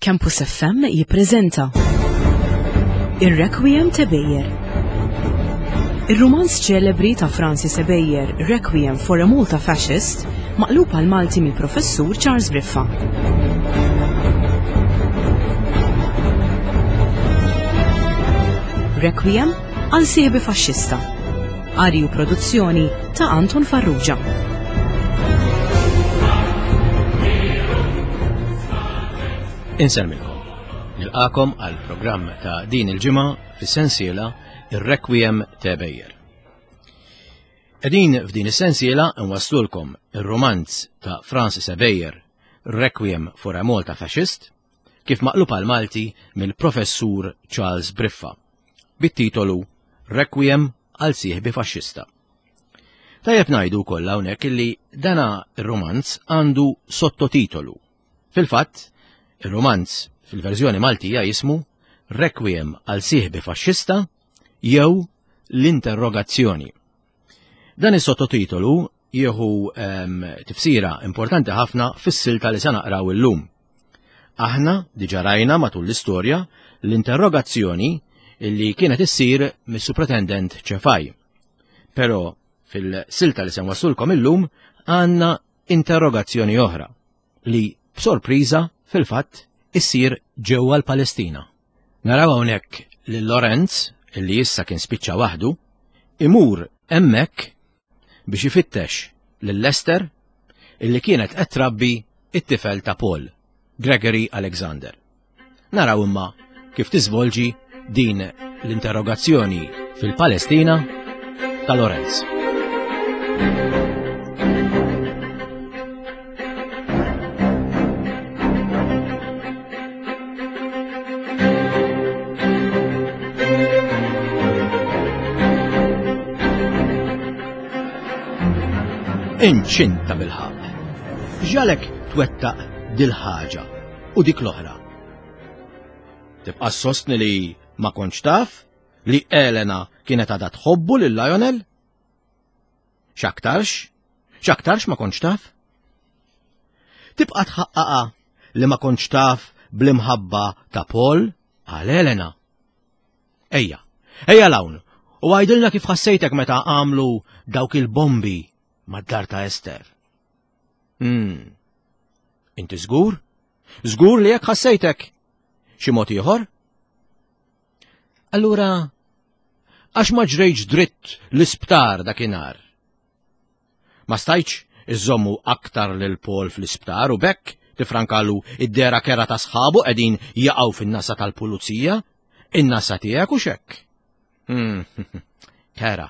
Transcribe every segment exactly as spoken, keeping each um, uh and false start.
Campus F M jippreżenta Ir-Requiem ta' Ebejer. Ir-rumanz ċelebri ta' Francis Ebejer, Requiem for a Malta Fascist, maqlub għal Malti mill-Professur Charles Briffa. Requiem għal sieħbi faxxista. Qari u produzzjoni ta' Anton Farrugia. Insellmilkom. Nilqakom għal programm ta' din il-ġimgħa fis-sensiela Ir-Requiem ta' Ebejer. Qegħdin f'din is-sensiela nwaslulkom ir-romanz ta' Francis Ebejer, Requiem for a Malta Fascist, kif maqlub għal Malti mill-Professur Charles Briffa, bit-titolu Requiem għal sieħbi faxxista. Tajjeb ngħidu wkoll hawnhekk illi dana ir-romanz għandu sottotitolu. Fil-fatt, ir-romanz fil-verżjoni Maltija jismu Requiem għal sieħbi faxxista jew l-interrogazzjoni. Dan is-sottotitolu jieħu, ehm, tifsira importanti ħafna fis-silta li se naqraw illum. Aħna diġà rajna matul l-istorja l-interrogazzjoni li kienet issir mis-Supretendent Ċefaj. Però fil-silta li se nwassulkom illum għandna interrogazzjoni oħra li b'sorpriża fil-fatt issir ġewwa l-Palestina. Naraw hawnhekk lil Lorenz, li issa kien spiċċa waħdu, imur hemmhekk biex ifittex lil Lester illi kienet qed trabbi it-tifel ta' Paul, Gregory Alexander. Naraw imma kif tiżvolġi din l-interrogazzjoni fil-Palestina ta' Lorenz. Inċinta bil-ħaq. Ġalek twettaq dil-ħaġa u dik l-oħra. Tibqa' sostni li ma kontx taf li Elena kienet għadha tħobbu lil Lionel? X'aktarx? X'aktarx ma kontx taf? Tibqa' tħaqqaqa li ma kontx taf bl-imħabba ta' Paul għal Elena. Ejja, ejja l-hawn, u għajdilna kif ħassejtek meta għamlu dawk il-bombi mad-dar ta' Ester. Hmm. Inti żgur? Żgur li jekk ħassejtek? Xi mod ieħor? Allura, għax ma ġrejtx dritt l-isptar dakinhar? Ma stajtx iżommu aktar lil Paul fl-isptar u bekk tifrankalu id-dera kera ta' sħabu qegħdin jaqgħu fin-nasa tal-pulizija, in-nasa tiegħek u xekk. Hmm. Kera.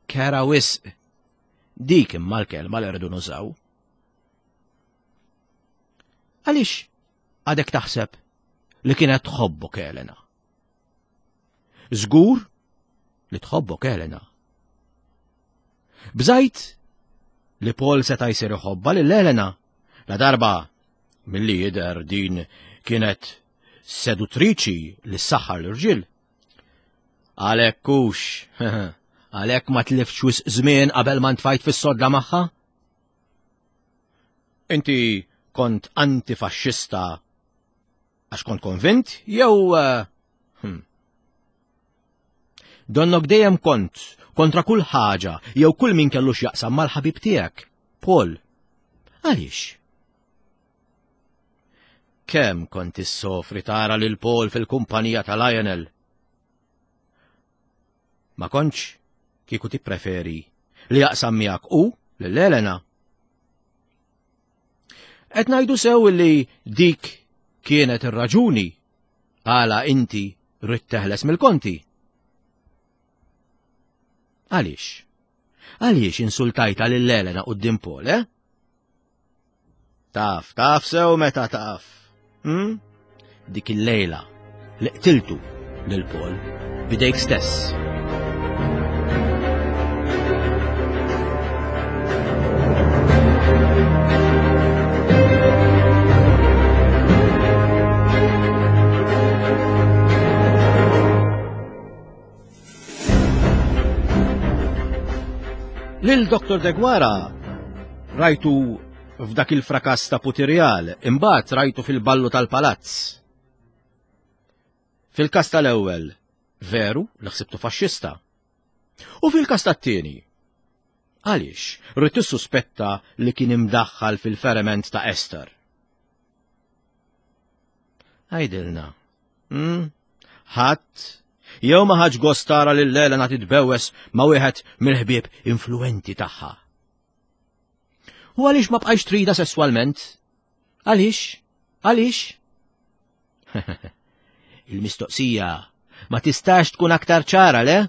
Kera wisq. Dik imma l-kelma li rridu nużaw. Għaliex għadek taħseb li kienet tħobbok Elena? Żgur li tħobbok Elena. Bżajt li Paul seta' jsir iħobbha lil Elena la darba milli jidher din kienet seduttriċi li ssaħħar l-irġiel. Għalhekk hux, għalhekk ma tliftx wisq żmien qabel ma ntfajt fis-sodda magħha? Inti kont antifaxxista għax kont konvint jew, eh, hm. Donnok dejjem kont kontra kull ħaġa jew kull min kellu x'jaqsam mal-ħabib tiegħek, Paul. Għaliex? Kemm kont issofri tara lil Paul fil-kumpanija ta' Lionel? Ma kontx kieku tippreferi li jaqsam miegħek u lil Elena? Qed ngħidu sew li dik kienet ir-raġuni għala inti rrid teħles mill-konti. Għaliex? Għaliex insultajta lil Elena quddiem Paul, eh? Taf, taf sew meta taf. Hm? Dik il-lejla li qtiltu lil Paul bidejk stess. Lil Doktor Deguara rajtu f'dak il-frakass ta' Putirjal, imbagħad rajtu fil-ballu tal-palazz. Fil-każ tal-ewwel, veru li ħsibtu faxxista. U fil-każ tat-tieni, għaliex rrid tissuspetta li kien imdaħħal fil-feriment ta' Esther? Għidilna, hmm? Ħadd jew ma ħadx gost tara lil Elena titbewwes ma' wieħed mill-ħbieb influenti tagħha. U għaliex ma bqajx trida sesswalment? Għaliex? Għaliex? Il-mistoqsija ma tistax tkun aktar ċara, le?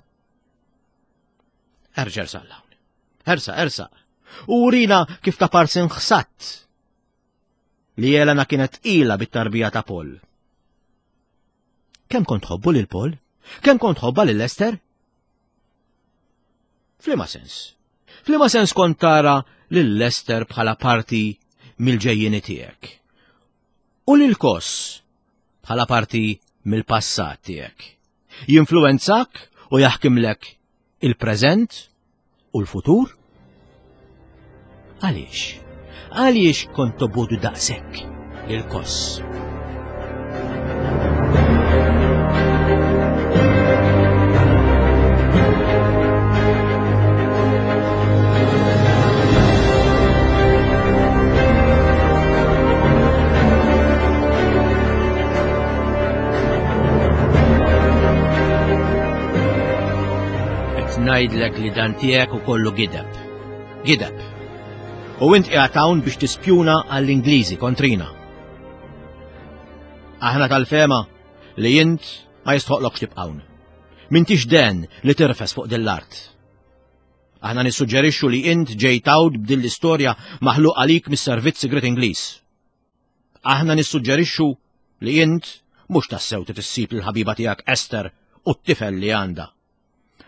Erġa' ersaq 'l hawn. Ersaq, ersaq. U urina kif ta' parsin ħsatt li Elena kienet tqila bit-tarbija ta' Paul. Kemm kont tħobbu lil Paul? Kemm kont tħobbha lil Esther? F'liema sens? F'liema sens kont tara lil Esther bħala parti mill-ġejjieni tiegħek? U lil Kos bħala parti mill-passat tiegħek? Jinfluwenzak u jaħkimlek il-preżent u l-futur? Għaliex? Għaliex kont tobgħodu daqshekk lil Kos? Qed ngħidlek li dan tiegħek u kollu gideb. Gideb. U int qiegħed hawn biex tispjuna għall-Ingliżi kontrina. Aħna tal-fehma li int ma jistħoqlokx tibqa' hawn. M'intix den li tirfes fuq din l-art. Aħna nissuġġerixxu li int ġejt hawn b'din l-istorja maħluq għalik mis-servizz sigriet Ingliż. Aħna nissuġġerixxu li int mhux tassew trid issib lill-ħabiba tiegħek Esther u t-tifel li għandha.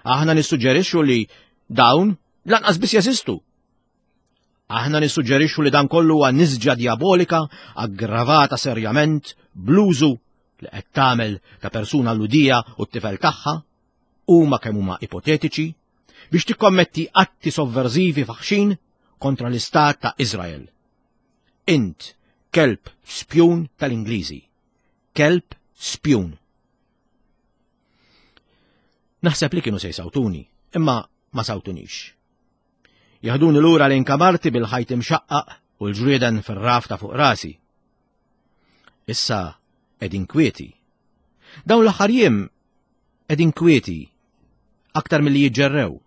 Aħna nissuġġerixxu li dawn lanqas biss jeżistu. Aħna nissuġġerixxu li dan kollu huwa nisġa diabolika aggravata serjament bl-użu li qed tagħmel ta' persuna Lhudija u t-tifel tagħha, huma kemm huma ipotetiċi, biex tikkommetti atti sovverżivi faħxin kontra l-istat ta' Izrael. Int kelb spjun tal-Ingliżi. Kelb spjun. Naħseb li kienu se jsawtuni, imma ma sawtunix. Jaħduni lura lejn kamarti bil-ħajt imxaqqaq u l-ġrieden fir-raf ta' fuq rasi. Issa qegħdin kwieti. Dawn l-aħħar jiem qegħdin kwieti aktar milli jiġġerrew.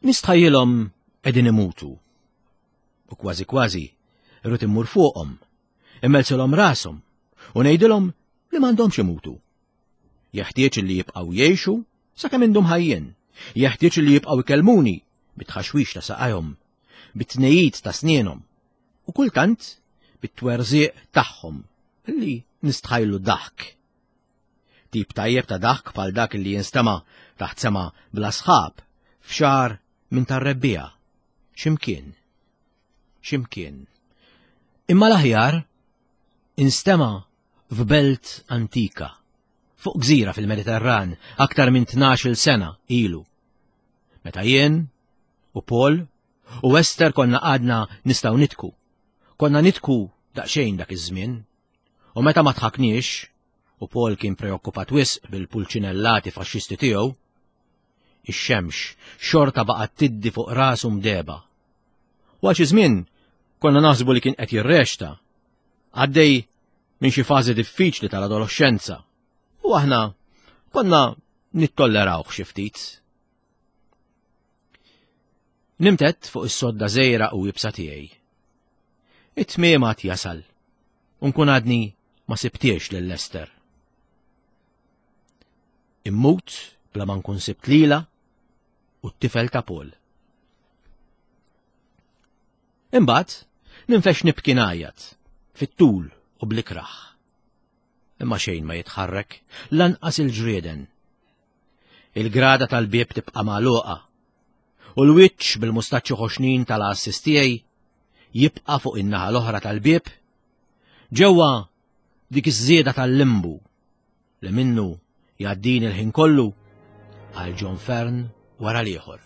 Nistħajjilhom qegħdin imutu. U kważi kważi irrid immur fuqhom, immelsilhom rashom u ngħidilhom li m'għandhomx imutu. Jeħtieġ li jibqgħu jgħixu sakemm indum ħajjin. Jeħtieġ li jibqgħu ikellmuni bit-tħaxwix ta' saqajhom, bit-tnejid ta' snienhom u kultant bit-twerżiq tagħhom li nistħajlu daħk. Tip tajjeb ta' daħk bħal dak li jinstema' taħt sema bla sħab f'xahar minn tar-rebbiegħa. X'imkien. X'imkien. Imma l-aħjar instema' f'belt antika, fuq gżira fil-Mediterran aktar minn tnax-il sena ilu. Meta jien u Paul u Esther konna għadna nistgħu nitku. Konna nitku daqsxejn dak iż-żmien. U meta ma tħakniex, u Paul kien preokkupat wisq bil-pulċinellati faxxisti tiegħu, ix-xemx xorta baqgħet tiddi fuq rasu mdeba. U għal xi żmien konna naħsbu li kien qed jirrexta, għaddej minn xi fażi diffiċli tal-adolescenza. U aħna konna nittollerawh xi ftit. Nimtet fuq is-sodda żejra u ibsa tiegħi. It-tmiem għad jasal, u nkun għadni ma sibtiex lil Esther. Immut bla ma nkun sibt lila u t-tifel ta' Paul. Imbagħad ninfex nibki ngħajjat fit-tul u blikraħ. Imma xejn ma jitħarrek, lanqas il-ġrieden. Il-grada tal-bieb tibqa' magħluqa u l-wiċċ bil-mustaċċi ħoxnin tal-għassis tiegħi jibqa' fuq in-naħa l-oħra tal-bieb ġewwa dik iż-żieda tal-limbu li minnu jgħaddini l-ħin kollu għal John Fern wara l-ieħor.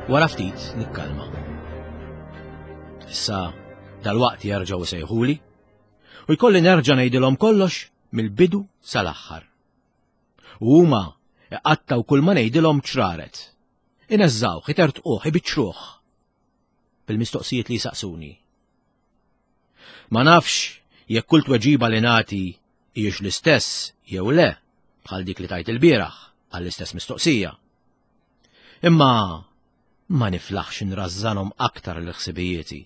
Wara ftit nikkalma. Issa dalwaqt jerġgħu sejħuli u jkolli nerġa' ngħidilhom kollox mill-bidu sal-aħħar. U huma iqattgħu kull ma ngħidilhom ċraret. Ineżżawh, itertquh, ibiċċruh bil-mistoqsijiet li jsaqsuni. Ma nafx jekk kull tweġiba li nagħti hijiex l-istess jew le bħal dik li tajt il-bieraħ għall-istess mistoqsija. Imma ma niflaħx nrażżanhom aktar l-ħsibijieti.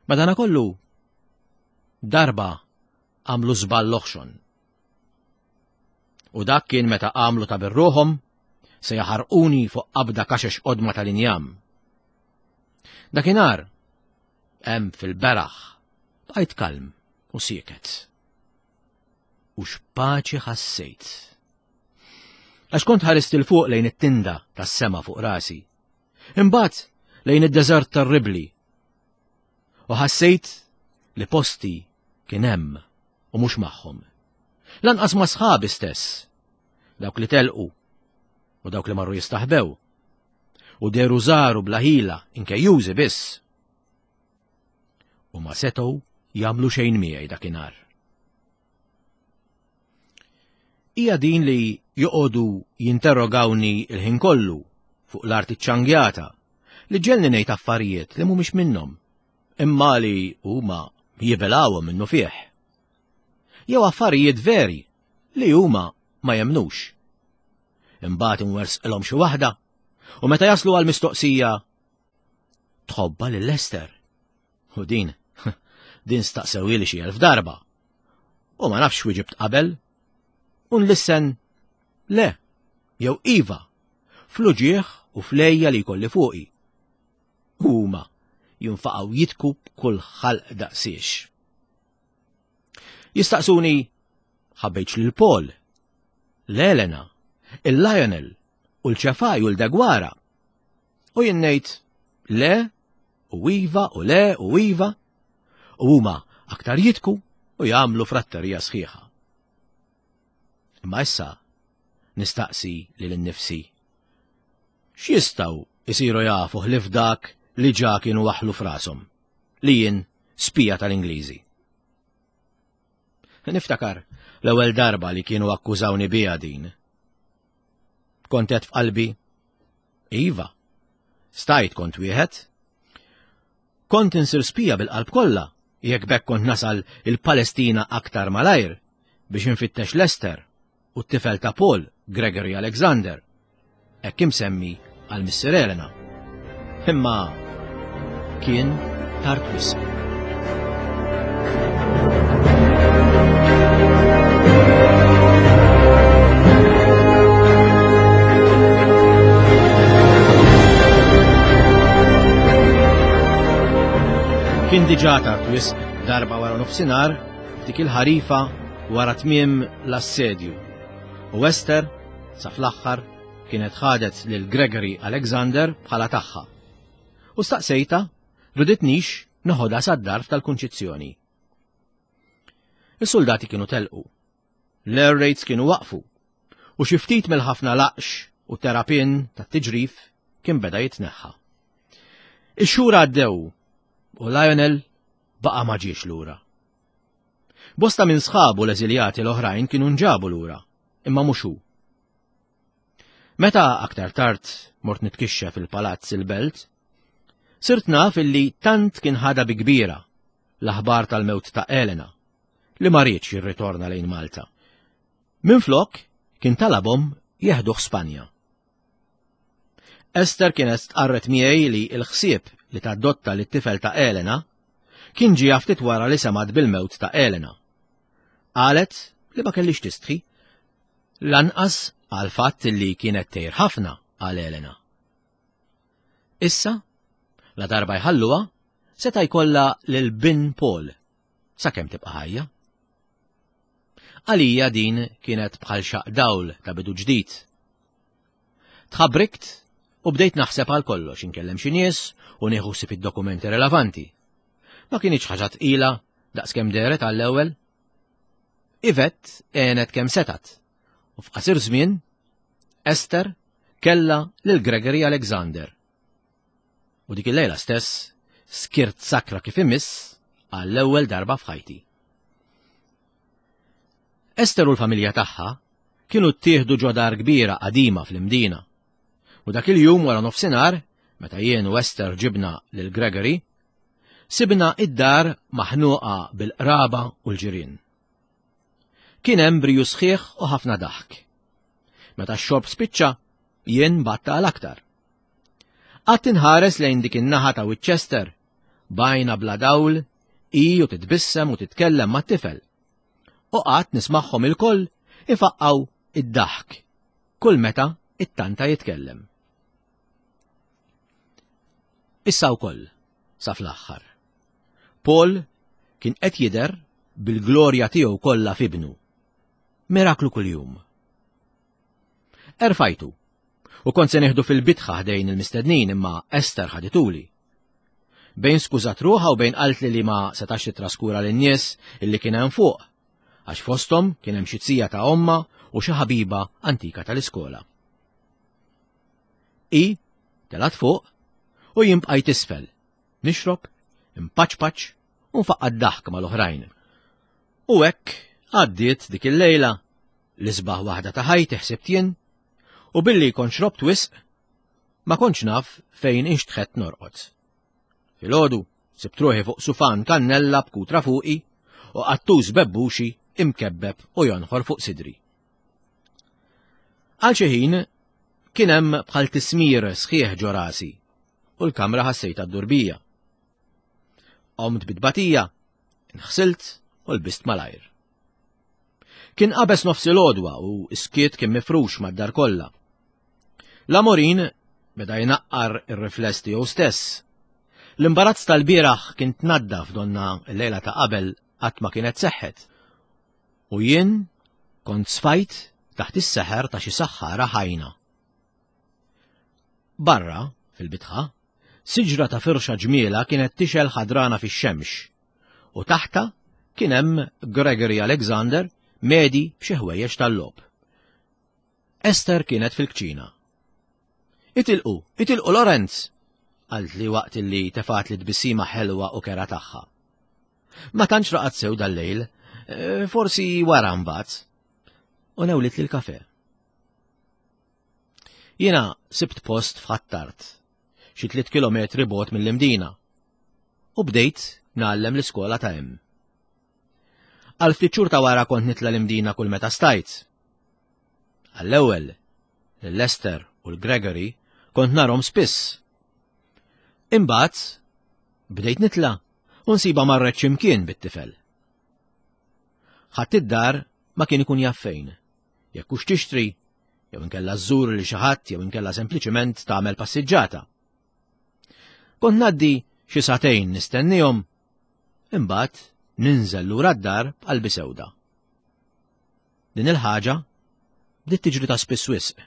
Madanakollu, darba għamlu żball oħxon. U dak kien meta għamlu ta' birruħhom se jaħarquni fuq qabda kaxex qodma tal-injam. Dakinhar, hemm fil-beraħ, bqajt kalm u sieket. U x'paċi ħassejt. Għax kont ħarist 'il fuq lejn it-tinda tas-sema fuq rasi. Imbagħad lejn id-deżert tar-Ribli. U ħassejt li posti kien hemm u mhux magħhom. Lanqas ma' sħabi stess, dawk li telqu u dawk li marru jistaħbew. U deru żaru bla ħila inkejjużi biss. U ma setgħu jagħmlu xejn miegħi dakinhar. Hija din li joqogħdu jinterrogawni il-ħin kollu fuq l-arti ċangjata li ġelni ngħid affarijiet li mhumiex minnhom, imma li huma jibilgħuhom minnu fih. Jew affarijiet veri li huma ma jemnux. Imbagħad inwersqilhom xi waħda u meta jaslu għal mistoqsija tħobba lil Lester. U din din staqsewili xi elf darba. U ma nafx wieġibt qabel. U nlissen le, jew iva, fl-uġieħ u flejja li jkolli fuqi. Huma jinfaqgħu jitku b'kull ħalq daqsiex. Jistaqsuni ħabbejtx lil Paul, l-Elena, il-Lionel u l-Ċefaj u l-Degwara. U jien ngħid le u iva u le u iva u huma aktar jitku u jagħmlu fratterija sħiħa. Imma issa nistaqsi lil innifsi. X'jistgħu isiru jafu ħlief dak li ġa kienu waħlu frashom, li jien spija tal-Ingliżi. Niftakar l-ewwel darba li kienu akkużawni biha din. Kont qed f'qalbi, iva, stajt kont wieħed. Kont insir spija bil-qalb kollha jekk bekk kont nasal il-Palestina aktar malajr biex infittex Lester u t-tifel ta' Paul, Gregory Alexander, hekk imsemmi għal missier Elena. Imma kien tard wisq. Kien diġà tard wisq darba wara nofsinhar f'dik il-ħarifa wara tmiem l-assedju. U Esther, sa fl-aħħar, kienet ħadet lil Gregory Alexander bħala tagħha. U staqsejta riditnix noħodha sad-darf tal-Kunċizzjoni. Is-soldati kienu telqu. L-air raids kienu waqfu. U xi ftit mill-ħafna laqx u terapin tat-tiġrif kien beda jitneħħa. Ix-xhur għaddew u Lionel baqa' ma ġiex lura. Bosta minn sħabu l-eżiljati l-oħrajn kienu nġabu lura, imma mhux hu. Meta aktar tard mort nitkixxef fil-palazz il-belt, sirt naf illi tant kien ħada bi kbira l-aħbar tal-mewt ta' Elena li ma riedx jirritorna lejn Malta. Minflok kien talabhom jeħduh Spanja. Esther kienet stqarret miegħi li l-ħsieb li tadotta lit-tifel ta' Elena kien ġie ftit wara li semgħet bil-mewt ta' Elena. Qalet li ma kellix tistħi, lanqas għal fatt li kienet tgħir ħafna għal Elena. Issa, la darba jħalluha, seta' jkollha lil bin Paul sakemm tibqa' ħajja. Għalija din kienet bħal xaq dawl ta' bidu ġdid. Tħabrikt u bdejt naħseb għal kollox, inkellem xi nies u nieħu ħsieb id-dokumenti relevanti. Ma kienx ħaġa tqila daqskemm dehret għall-ewwel. Yvette għenet kemm setat u f'qasir żmien Esther Kellha lil Gregory Alexander. U dik il-lejla stess skirt sakra kif imiss għall-ewwel darba f'ħajti. Ester u l-familja tagħha kienu ttieħdu ġo dar kbira qadima fl-Imdina. U dak il-jum wara nofsinhar, meta jien u Ester ġibna lil Gregory, sibna id-dar maħnuqa bil-qraba u l-ġirien. Kien hemm briju sħiħ u ħafna daħk. Meta x-xorb spiċċa, jien batta għal aktar. Qatt inħares lejn dik in-naħa ta' Winchester, bajna bla dawl, i u titbissem u titkellem mat-tifel. U qatt nismagħhom ilkoll ifaqqgħu id-daħk kull meta it-tanta jitkellem. Issa wkoll sa fl-aħħar. Paul kien qed jidher bil-glorja tiegħu kollha f'ibnu. Miraklu kuljum. Erfajtu u kont se nieħdu fil-bitħa ħdejn il-mistednin imma Ester ħadituli. Bejn skużat ruħha u bejn qaltli li ma setax titraskura lin-nies illi kien hemm fuq, għax fosthom kien hemm xi zija ta' omma u xi ħabiba antika tal-iskola. I telgħet fuq u jien bqajt isfel, nixrob, impaċpaċ u nfaqqa' d-daħk mal-oħrajn. U hekk għaddiet dik il-lejla l-isbaħ waħda ta' ħajti ħsibt jien, u billi kont xrobt wisq, ma kontx naf fejn inxtħet norqod. Filgħodu sibt ruħi fuq sufan kannella b'kutra fuqi u qattus bebbuxi imkebbeb u jonħor fuq sidri. Għal xi ħin kien hemm bħal tismir sħiħ ġo rasi u l-kamra ħassejtha ddur bija. Qomt bit-tbatija, inħsilt u lbist malajr. Kien qabeż nofs il-għodwa u s-skiet kien mifrux mad-dar kollha. L-amorin beda jnaqqar ir-rifless tiegħu stess. L-imbarazz tal-bieraħ kien tnaddaf donna l-lejla ta' qabel qatt ma kienet seħħet. U jien kont sfajt taħt is-seħer ta' xi saħħara ħajna. Barra, fil-bitħa, siġra ta' firxa ġmiela kienet tixgħel ħadrana fix-xemx u taħta kien hemm Gregory Alexander medi b'xi ħwejjeġ tal-logħob. Ester kienet fil-kċina. Itilqu, itilqu Lorenz, qaltli waqt li tefgħetli tbissima ħelwa u kerha tagħha. Ma tantx raqad sew dal-lejl, eh, forsi wara mbagħad. U newlitli l-kafe. Jiena sibt post f'Ħ'Attard, xi tliet kilometri bogħod mill-Imdina, u bdejt ngħallem l-iskola ta' hemm. Għal ftit xhur ta' wara kont nitla' l-Imdina kull meta stajt. Għall-ewwel, lil Ester u l-Gregory kont narahom spiss. Imbagħad bdejt nitla' u nsibha marret x'imkien bit-tifel. Ħadd id-dar ma kien ikun jaf fejn. Jekk hux tixtri, jew inkella żżur li xi ħadd jew inkella sempliċement tagħmel passiġġata. Kont ngħaddi xi sagħtejn nistennihom, imbagħad ninżel lura d-dar b'qalbi sewda. Din il-ħaġa bdiet tiġri ta' spiss wisq.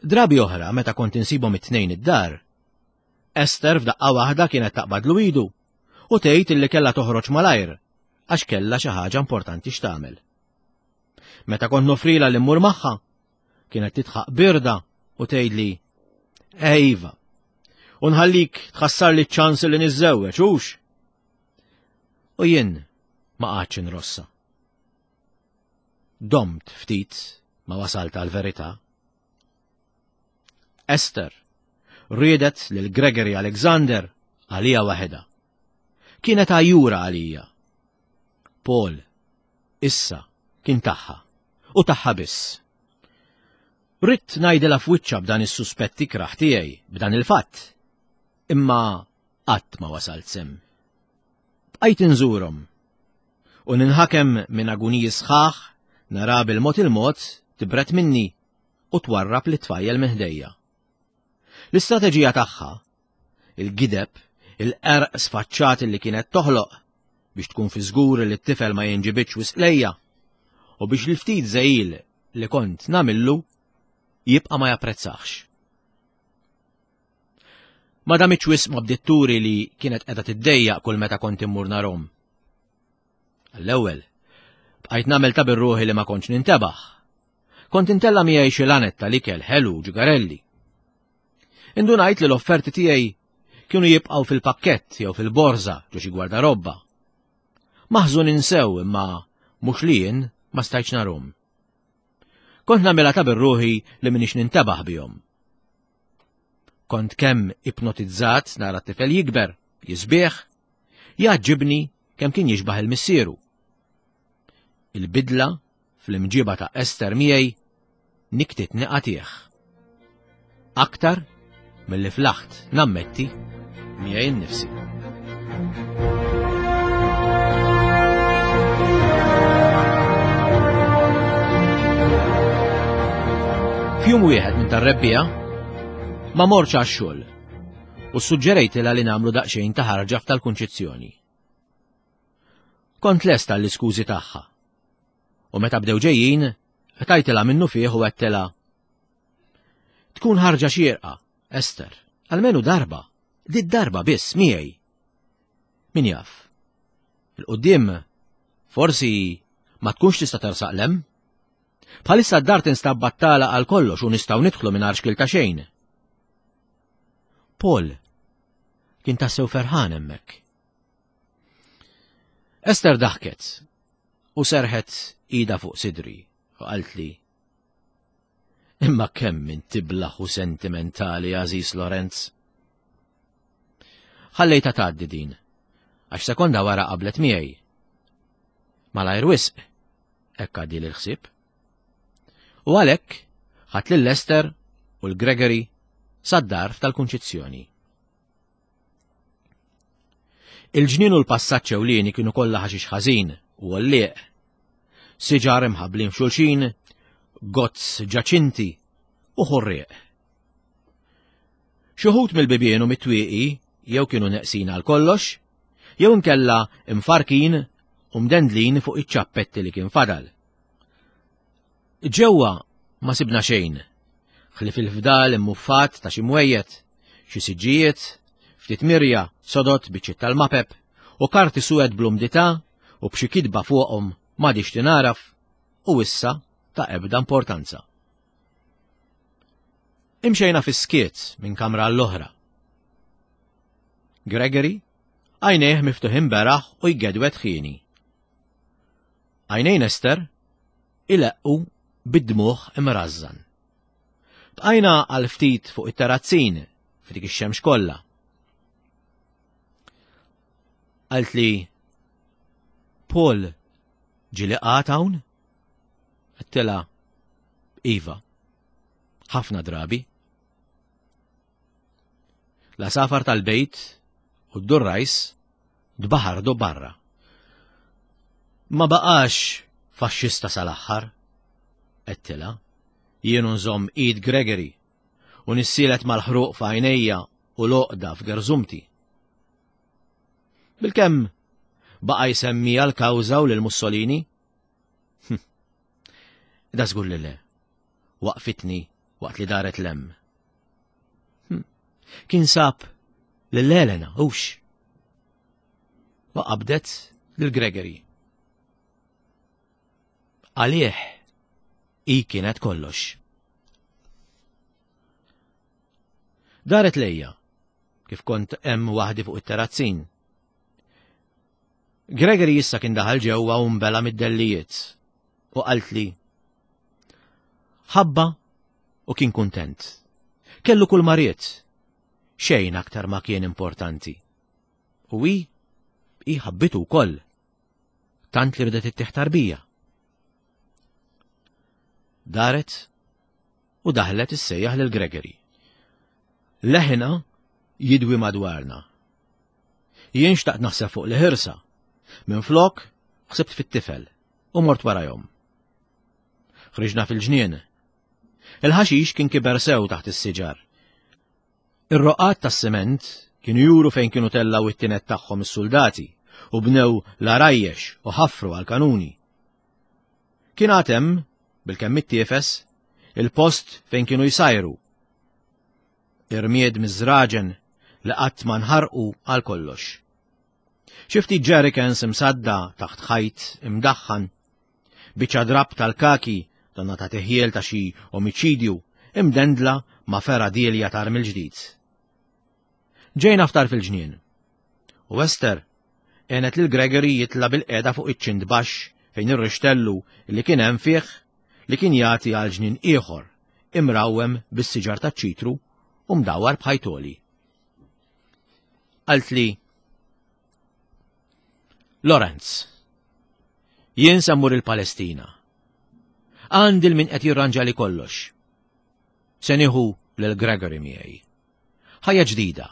Drabi oħra meta kont insibhom it-tnejn id-dar, Ester f'daqqa waħda kienet taqbadlu idu u tgħid illi kellha toħroġ malajr għax kellha xi ħaġa importanti x'tagħmel. Meta kont nofrila li mmur magħha, kienet tidħaq birda u tgħidli Ejva, u nħallik tħassarli ċ-ċans li niżżewweġ, hux? U jien ma qgħadtx inrossha. Domt ftit ma wasalt għal-verità. Ester riedet lil Gregory Alexander għalija waħedha. Kienet għajjura għalija. Paul, issa, kien tagħha, u tagħha biss. Ridt ngħidilha f'wiċċha b'dan is-suspett ikrah tiegħi, b'dan il-fatt. Imma qatt ma wasalt s'hemm. Bqajt inżurhom u ninħakem minn aguniji sħaħ nara bil-mod il-mod tibret minni u twarrab lit-tfajjel minn ħdejja. L-istrateġija tagħha, il-gideb, il-qerq sfaċċat li kienet toħloq biex tkun fi żgur li t-tifel ma jinġibidx wisq lejja u biex l-ftit żegħil li kont nagħmillu jibqa' ma japprezzax. Ma damitx wisq ma bdiet turi li kienet qiegħda tiddejjaq kull meta kont immur narahom. Għall-ewwel, bqajt nagħmel ta' bir-ruħi li ma kontx nintebaħ. Kont intella miegħi xi lanet tal-ikel ħelu ġugarelli. Indunajt li l-offerti tiegħi kienu jibqgħu fil-pakkett jew fil-borża ġo xi gwardarobba. Maħżunin sew imma mhux li jien ma stajtx narhom. Kont nagħmilha ta' bir-ruħi li m'iniex nintebaħ bihom. Kont kemm ipnotizzat nara t-tifel jikber, jisbieħ, jgħaġġibni kemm kien jixbaħ il-missieru. Il-bidla fl-imġiba ta' Ester miegħi niktitni qatih. Aktar milli flaħt nammetti miegħi nnifsi. F'jum wieħed minn tar-rebbiegħa ma mortx għax-xogħol u ssuġġerejtilha li nagħmlu daqsxejn ta' ħarġa f'tal-Kunċizzjoni. Kont lest għall-iskużi tagħha. U meta bdew ġejjin, tajtilha minnu fih u għedtilha: Tkun ħarġa xierqa, Ester, almenu darba, di darba biss miegħi. Min jaf? Il-quddiem forsi ma tkunx tista' tersaq lem. Bħalissa d-dar tinstab battala għal kollox u nistgħu nidħlu mingħajr xkil ta' xejn. Paul kien tassew ferħan hemmhekk. Ester daħket u serħet ida fuq sidri u qaltli: Imma kemm int tiblaħ u sentimentali, Aziz Lorenz. Ħallejta tgħaddi din, għax sekonda wara qablet miegħi. Malajr wisq, hekk għaddi l-ħsieb. U għalhekk ħadt lil Ester u l-Gregory sad-dar tal-Kunċizzjoni. Il-ġnien u l-passaġġ ewlieni kienu kollha ħaxix ħażin u għollieq. Siġar imħabblin f'xulxin, gozz ġaċinti u ħorrieq. Xi wħud mill-bibien u mit-twieqi jew kienu neqsin għal kollox, jew inkella imfarkin u mdendlin fuq iċ-ċappetti li kien fadal. Ġewwa ma sibna xejn, ħlief il-fdal immuffat ta' xi mwejjed, xi siġġijiet, ftit mirja, sodot biċċiet tal-mapep u karti suwed bl-umdità u b'xi kitba fuqhom m'għadix tinaraf u issa ta' ebda importanza. Imxejna fis-skiet minn kamra l-oħra. Gregory għajnejh miftuħin beraħ u jgedwet ħieni. Għajnejn Ester ileqqu bid-dmuħ imrażżan. Bqajna għal ftit fuq it-terrazzin f'dik ix-xemx kollha. Qaltli: Paul ġieli qagħad hawn? Għedtilha: Iva, ħafna drabi. L-għasafar tal-bejt u d-durrajs dbaħardu barra. Ma baqax faxxista sal-aħħar, għedtilha, jien nżomm id Gregory u nissielet mal-ħruq f'għajnejja u l-oqda f'gerżumti. Bilkemm baqa' jsemmi għal-kawża u lil Mussolini? Da żgur li le. Waqfitni waqt li daret lem. Kien sab lil Elena, hux. U qabdet lil Gregory. Għalih i kienet kollox. Daret lejja, kif kont hemm waħdi fuq it-terrazzin. Gregory issa kien daħal ġewwa u mbela mid-dellijiet u qaltli: Ħabba u kien kuntent. Kellu kull mariet. Xejn aktar ma kien importanti. U hi, hi ħabbitu wkoll. Tant li ridet ittieħ tarbija. Daret u daħlet issejjaħ lil Gregory. Leħna jidwi madwarna. Jien xtaqt naħseb fuq li ħirsa. Minflok ħsibt fit-tifel u mort warajhom. Ħriġna fil-ġnien. Il-ħaxix kien kiber sew taħt is-siġar. Ir-roqat tas-siment kienu juru fejn kienu tellaw it-tinet tagħhom is-soldati u bnew l-arajjex u ħafru għal-kanuni. Kien għad hemm, bilkemm ittiefes, il-post fejn kienu jsajru. Irmied miż-żraġen li qatt ma nħarqu għal kollox. Xi ftit jerrycans imsadda taħt ħajt imdaħħan, biċċa drab tal-kaki Donna ta' teħjel ta' xi omiċidju imdendla ma' fergħa dielja tar mill-ġdid. Ġejna ftar fil-ġnien. U Esther għenet lil Gregory jitla bil-qeda fuq iċ-ċint baxx fejn irrixtellu li kien hemm fih li kien jagħti għal ġnien ieħor imrawwem bis-siġar taċ-ċitru u mdawwar b'ħajtoli. Qaltli, Lorenz, jien se mmur il-Palestina. Għandi l-min qed jirranġali kollox. Se nieħu lil Gregory miegħi. Ħajja ġdida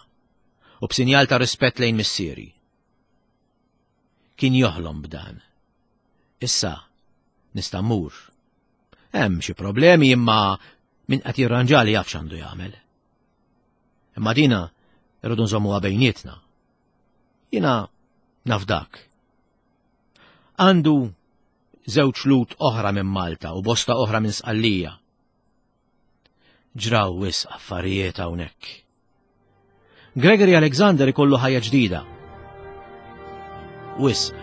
u b'sinjal ta' rispett lejn missieri. Kien joħlom b'dan. Issa nista' mmur. Hemm xi problemi imma min qed jirranġali jaf x'għandu jagħmel. Imma dina irridu nżommuha bejnietna. Jiena naf dak. Għandu żewġ lut oħra minn Malta u bosta oħra minn Sqallija. Ġraw wisq affarijiet hawnhekk. Gregory Alexander ikollu ħajja ġdida. Wisq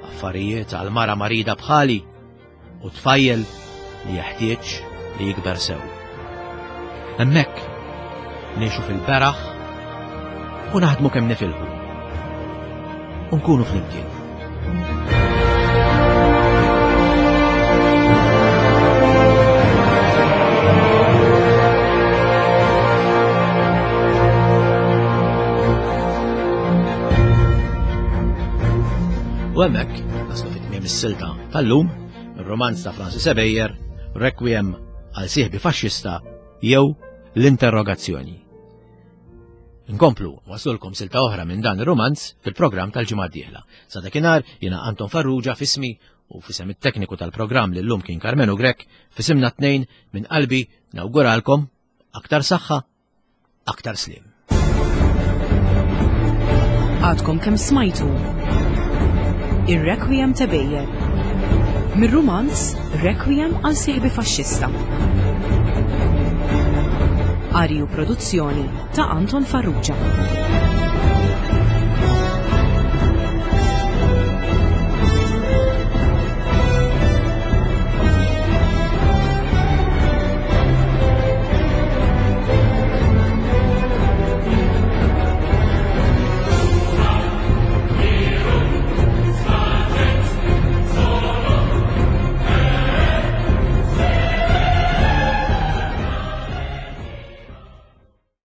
affarijiet għal mara marida bħali u tfajjel li jeħtieġ li jikber sew. Hemmhekk ngħixu fil-beraħ u naħdmu kemm nifilħu. U nkunu flimkien. U hemmhekk naslu fit-tmiem is-silta tal-lum, ir-romanz ta' Francis Ebejer, Requiem għal sieħbi faxxista jew l-interrogazzjoni. Nkomplu waslulkom silta oħra minn dan ir-romanz fil-programm tal-ġimgħa d-dieħla. Sa dakinhar jiena Anton Farrugia fismi u fisem it-tekniku tal-programm li llum kien Karmenu Grech, fisimna tnejn minn qalbi nawguralkom aktar saħħa, aktar slim. Għadkom kemm smajtu Ir-Requiem ta' Bejer. Mir-rumanz Requiem għal sieħbi faxxista. Qari u produzzjoni ta' Anton Farrugia.